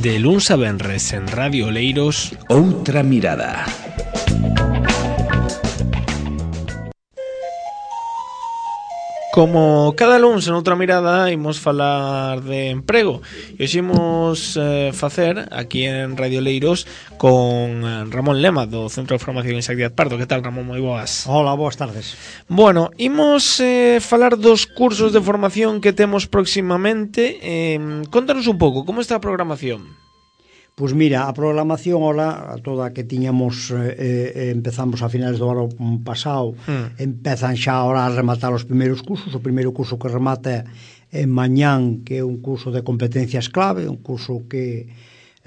De luns a venres en Radio Oleiros, Outra mirada. como cada luns en Outra mirada imos falar de emprego e hoxe imos facer aquí en Radio Oleiros con Ramón Lema do Centro de Formación Isaac Pardo. Que tal, Ramón? Moi boas. Hola, boas tardes. Bueno, imos falar dos cursos de formación que temos próximamente. Contanos un pouco, como está a programación? Pois mira, a programación toda que tiñamos empezamos a finales do ano pasado, empezan xa ahora a rematar os primeiros cursos. O primeiro curso que remata en mañán, que é un curso de competencias clave, un curso que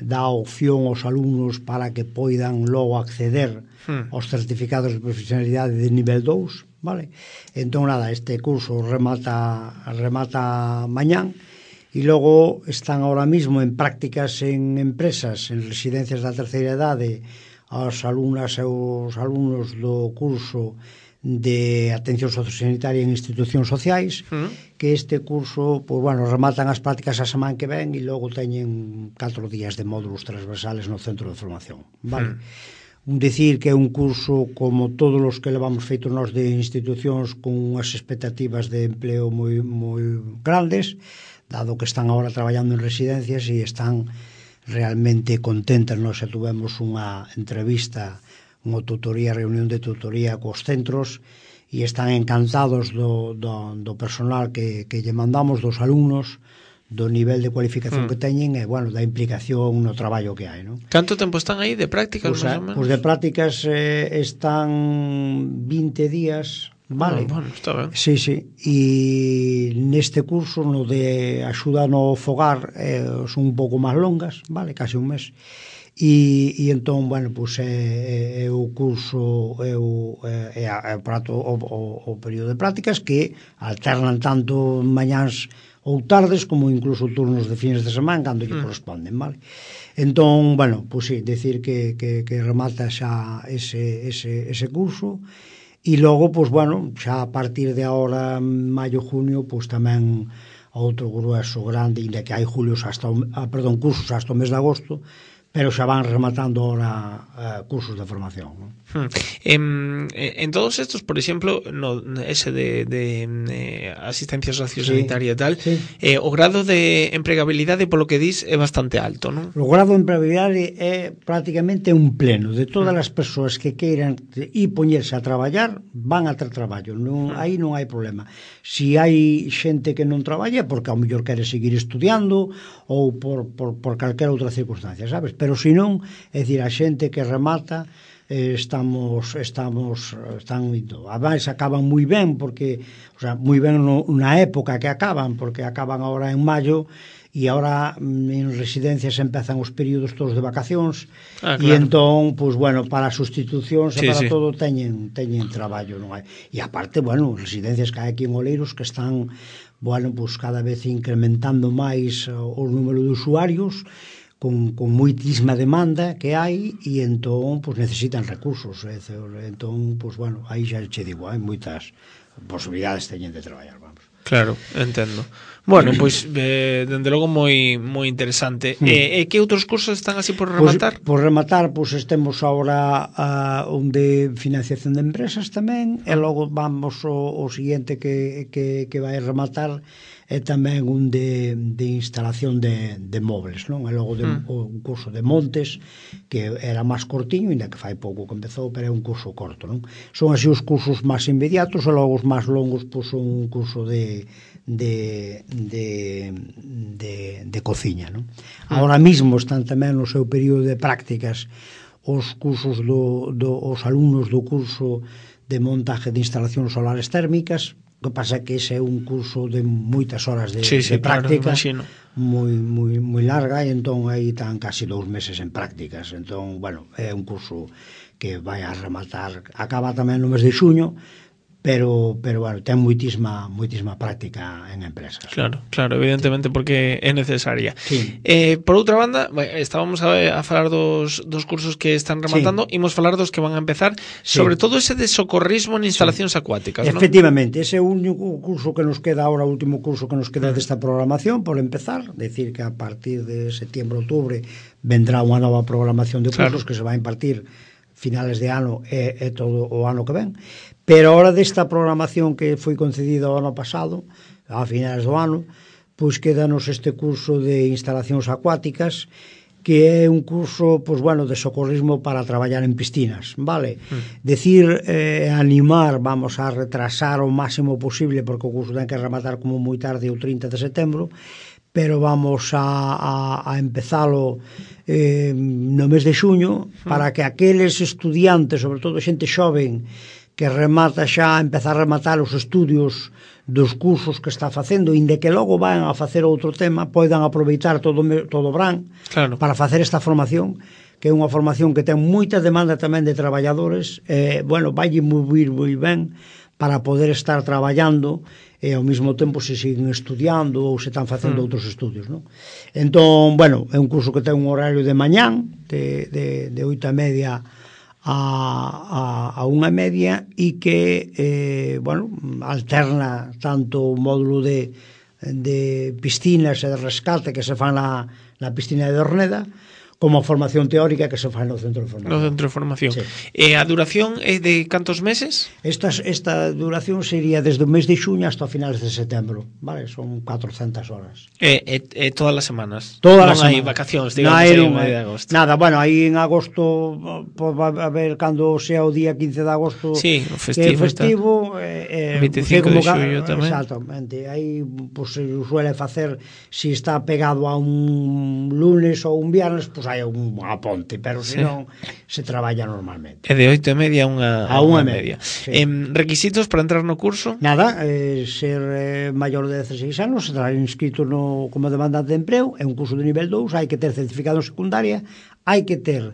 dá opción aos alumnos para que poidan logo acceder aos certificados de profesionalidade de nivel 2, vale? Entón nada, este curso remata mañán. E logo están ahora mismo en prácticas en empresas, en residencias da terceira idade, as alumnas e os alumnos do curso de atención sociosanitaria en institucións sociais, que este curso, pois bueno, rematan as prácticas a semana que ven e logo teñen 4 días de módulos transversales no centro de formación, vale? Dicir que é un curso como todos os que levamos feitos nós de institucións con unhas expectativas de empleo moi grandes, dado que están agora traballando en residencias e están realmente contentas. Nós xa tuvemos unha entrevista, unha reunión de tutoría cos centros e están encantados do personal que lle mandamos, dos alumnos, do nivel de cualificación que teñen e, bueno, da implicación no traballo que hai, non? Canto tempo están aí de prácticas, máis ou menos? Pois de prácticas están 20 días, vale? Bueno, está ben. Sí. E neste curso, no de axuda no fogar, son un pouco máis longas, vale? Casi un mes. E entón, bueno, pois é o curso, é o período de prácticas que alternan tanto mañáns ou tardes como incluso turnos de fines de semana cando lle corresponden, vale? Entón, bueno, pois sí, decir que remata xa ese curso. E logo, pois, bueno, xa a partir de agora, maio, junio, pois tamén outro grueso grande, ainda que hai cursos hasta o mes de agosto, pero xa van rematando ahora cursos de formación, non? En todos estos, por exemplo, ese de asistencia sociosanitaria e tal, o grado de empregabilidade, polo que dis, é bastante alto, non? O grado de empregabilidade é prácticamente un pleno de todas as persoas que queiran ir poñerse a traballar, van a ter traballo, aí non hai problema. Si hai xente que non traballa, porque ao mellor quere seguir estudiando ou por calquera outra circunstancia, sabes? Pero se non, é dicir, a xente que remata están indo. Ademais, acaban moi ben, porque, o sea, moi ben na época que acaban, porque acaban agora en maio, e agora en residencias empezan os períodos todos de vacacións, e entón, pois, bueno, para sustitucións e para todo teñen traballo, non hai? E aparte, bueno, residencias que hai aquí en Oleiros que están, bueno, pois cada vez incrementando máis o número de usuarios, con moitísima demanda que hai, e entón pois necesitan recursos, entón pois bueno, aí xa che digo, hai moitas posibilidades teñen de traballar, vamos. Claro, entendo. Bueno, pois dende logo moi interesante. E que outros cursos están así por rematar? Por rematar, pois temos agora un de financiación de empresas tamén, e logo vamos o seguinte que vai rematar é tamén un de instalación de móveis, non? E logo un curso de montes, que era máis cortiño, ainda que fai pouco que empezou, pero é un curso corto, non? Son así os cursos máis inmediatos, e logo os máis longos, pois son un curso de cociña, non? Agora mesmo están tamén no seu período de prácticas os cursos os alumnos do curso de montaje de instalacións solares térmicas. O que pasa é que ese é un curso de moitas horas de práctica, moi larga, e entón aí están casi 2 meses en prácticas. Entón, bueno, é un curso que vai a rematar, acaba tamén no mes de xuño, bueno, ten moitísima práctica en empresas. Claro, evidentemente, porque é necesaria. Sí. Por outra banda, estábamos a falar dos cursos que están rematando, imos falar dos que van a empezar, sobre todo ese de socorrismo en instalacións acuáticas, ¿no? Efectivamente, ese é o único curso que nos queda ahora, o último curso que nos queda desta programación por empezar, decir que a partir de setembro, outubro vendrá unha nova programación de cursos que se vai a impartir finales de ano e todo o ano que ven. Pero ahora desta programación que foi concedida o ano pasado, a finales do ano, pois quédanos este curso de instalacións acuáticas, que é un curso, pois bueno, de socorrismo para traballar en piscinas, vale? Decir, animar, vamos a retrasar o máximo posible, porque o curso ten que rematar como moi tarde o 30 de setembro, pero vamos a empezalo no mes de xuño, para que aqueles estudiantes, sobre todo xente xoven, que remata xa, empezar a rematar os estudios dos cursos que está facendo, inde que logo van a facer outro tema, poidan aproveitar todo o verán para facer esta formación, que é unha formación que ten moita demanda tamén de traballadores, bueno, vai moi ben para poder estar traballando e ao mesmo tempo se siguen estudiando ou se están facendo outros estudios, non? Entón, bueno, é un curso que ten un horario de mañán, de 8:30 a 1:30 e que, bueno, alterna tanto o módulo de piscinas e de rescate que se fan na piscina de Orneda, como a formación teórica que se fai no centro de formación. No centro de formación. Sí. A duración é de cantos meses? Esta duración sería desde o mes de xuño hasta finales de setembro, vale? Son 400 horas. Todas as semanas? Todas as semanas. Non hai vacacións, digamos, aí en medio de agosto. Nada, bueno, aí en agosto, a ver, cando sea o día 15 de agosto, sí, o festivo 25 de xullo tamén. Exactamente, aí pues, se suele facer, si está pegado a un lunes ou un viernes, pues hai unha ponte, pero senón se traballa normalmente. É de 8:30 a 1:30. Sí. Requisitos para entrar no curso? Nada, ser maior de 16 anos, estar inscrito como demandante de emprego, é un curso de nivel 2, hai que ter certificado en secundaria, hai que ter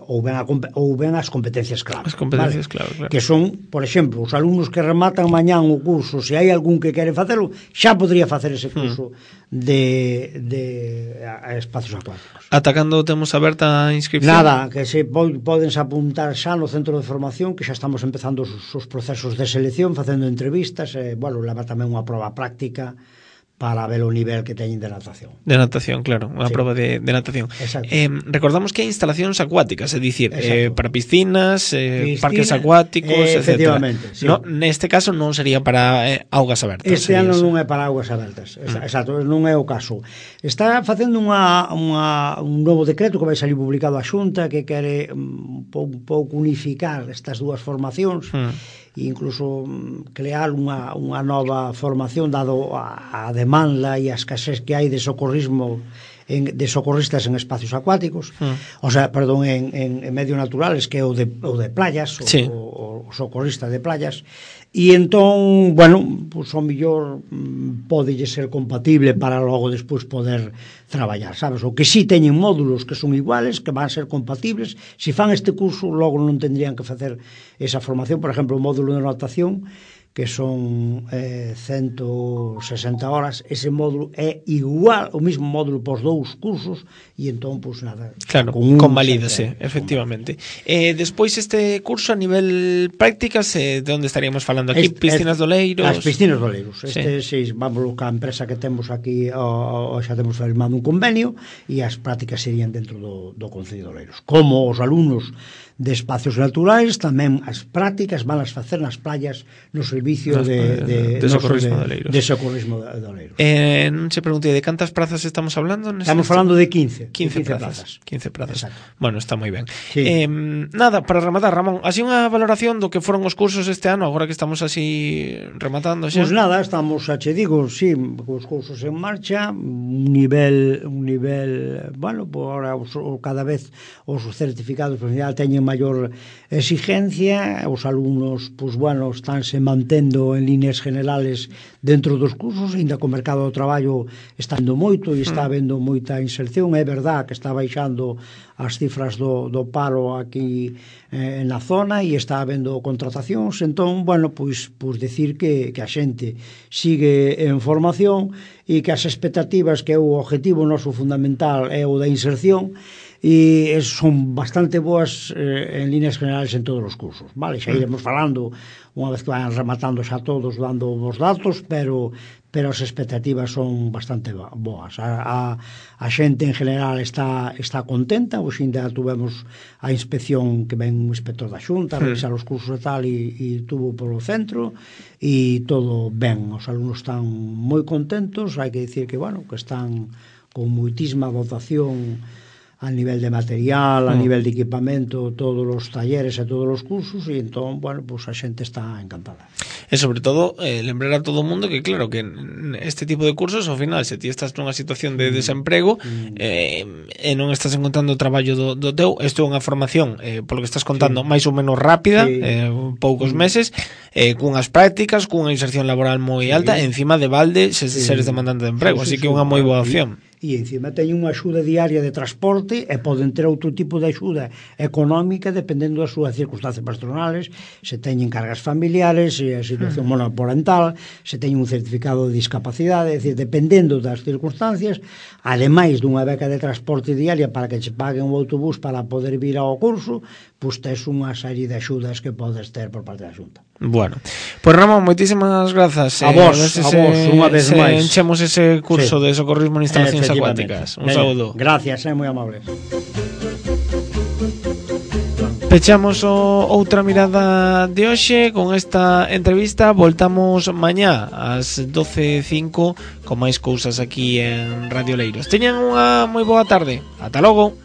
ou ben as competencias clave. As competencias clave, claro. Que son, por exemplo, os alumnos que rematan mañán o curso, se hai algún que quere facelo, xa podría facer ese curso de espacios acuáticos. Ata cando temos aberta a inscripción? Nada, que se podense apuntar xa no centro de formación, que xa estamos empezando os procesos de selección, facendo entrevistas, bueno, leva tamén unha proba práctica para ver o nivel que teñen de natación. De natación, claro, unha prova de natación. Recordamos que hai instalacións acuáticas, é dicir, para piscinas, parques acuáticos, etc. Sí. No, neste caso non sería para augas abertas. Este ano non é para augas abertas, exacto, non é o caso. Está facendo un novo decreto que vai salir publicado a Xunta, que quere un pouco unificar estas dúas formacións, e incluso crear unha nova formación dado a demanda e a escasez que hai de socorrismo de socorristas en espacios acuáticos, o sea, perdón, en medios naturales, que é o de playas, o socorrista de playas, e entón, bueno, pues, o mellor podelle ser compatible para logo despois poder traballar, sabes? O que si teñen módulos que son iguales, que van ser compatibles, se fan este curso logo non tendrían que facer esa formación, por exemplo, o módulo de natación, que son 160 horas, ese módulo é igual, o mismo módulo pos dous cursos, e entón, pois nada. Claro, convalídase, efectivamente. Despois este curso a nivel prácticas, de onde estaríamos falando aquí? Piscinas do Oleiros? As piscinas do Oleiros. Vamos ca empresa que temos aquí, xa temos firmado un convenio, e as prácticas serían dentro do Concello de Oleiros. Como os alumnos de espacios naturais, tamén as prácticas van as facer nas playas no servicio de socorrismo de Oleiros. De socorrismo de Oleiros. Non se pregunte, de cantas prazas estamos hablando? Estamos falando de 15 plazas. 15 plazas. Exacto. Bueno, está moi ben. Sí. Nada, para rematar, Ramón, así unha valoración do que foron os cursos este ano, agora que estamos así rematando xa? Pois nada, estamos, xa che digo, sí, os cursos en marcha, un nivel, bueno, por ahora cada vez os certificados profesionais teñen maior exigencia, os alumnos, pois, bueno, estánse mantendo en líneas generales dentro dos cursos, ainda que o mercado do traballo está indo moito e está habendo moita inserción. É verdad que está baixando as cifras do paro aquí na zona e está habendo contratacións, entón, bueno, pois decir que a xente sigue en formación e que as expectativas, que é o objetivo noso fundamental, é o da inserción, e son bastante boas en líneas generales en todos os cursos, vale? Xa iremos falando unha vez que vayan rematando xa todos, dando os datos, pero as expectativas son bastante boas. A xente en general está contenta. Hoxe ainda tuvemos a inspección que ven un inspector da Xunta a revisar os cursos e tal, e tuvo polo centro e todo ben, os alumnos están moi contentos. Hai que dicir que, bueno, que están con moitísima dotación a nivel de material, a nivel de equipamento, todos os talleres e todos os cursos, e entón, bueno, pues a xente está encantada. E sobre todo, lembrar a todo o mundo que, claro, que este tipo de cursos, ao final, se ti estás nunha situación de desemprego e non estás encontrando o traballo do teu, isto é unha formación, polo que estás contando, máis ou menos rápida, poucos meses, cunhas prácticas, cunha inserción laboral moi alta, e encima de balde, se seres demandante de emprego, así que é unha moi boa opción. E encima teñen unha axuda diaria de transporte e poden ter outro tipo de axuda económica dependendo das súas circunstancias patronales, se teñen cargas familiares, se a situación monoparental, se teñen un certificado de discapacidade, é dicir, dependendo das circunstancias, ademais dunha beca de transporte diaria para que che paguen o autobús para poder vir ao curso, pois tes unha serie de axudas que podes ter por parte da Xunta. Bueno, pois Ramón, moitísimas grazas. A vos, unha vez máis. Enchemos ese curso de socorrismo en instalacións acuáticas. Un saúdo. Gracias, moi amables. Pechamos outra mirada de hoxe con esta entrevista. Voltamos mañá ás 12:05 con máis cousas aquí en Radio Leiros. Teñan unha moi boa tarde. Ata logo.